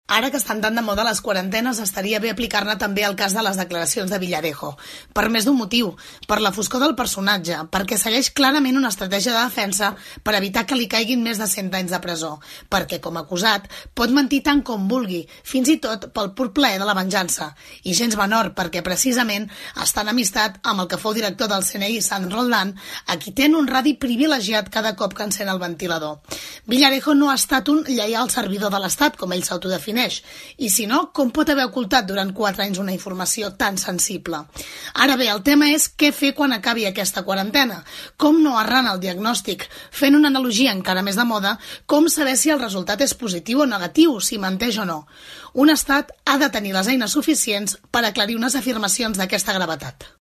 Ara que estan tan de moda les quarantenes, estaria bé aplicar-ne també al cas de les declaracions de Villarejo. Per més d'un motiu, per la foscor del personatge, perquè segueix clarament una estratègia de defensa per evitar que li caiguin més de 100 anys de presó, perquè, com a acusat, pot mentir tant com vulgui, fins i tot pel pur plaer de la venjança. I gens menor, perquè precisament està en amistat amb el que fou director del CNI, Sant Roldán, a qui té un radi privilegiat cada cop que encén el ventilador. Villarejo no ha estat un lleial servidor de l'Estat, com ell s'autodefineix, i si no, com pot haver ocultat durant 4 anys una informació tan sensible? Ara bé, el tema és què fer quan acabi aquesta quarantena, com no errar en el diagnòstic, fent una analogia encara més de moda, com saber si el resultat és positiu o negatiu, si menteix o no. Un estat ha de tenir les eines suficients per aclarir unes afirmacions d'aquesta gravetat.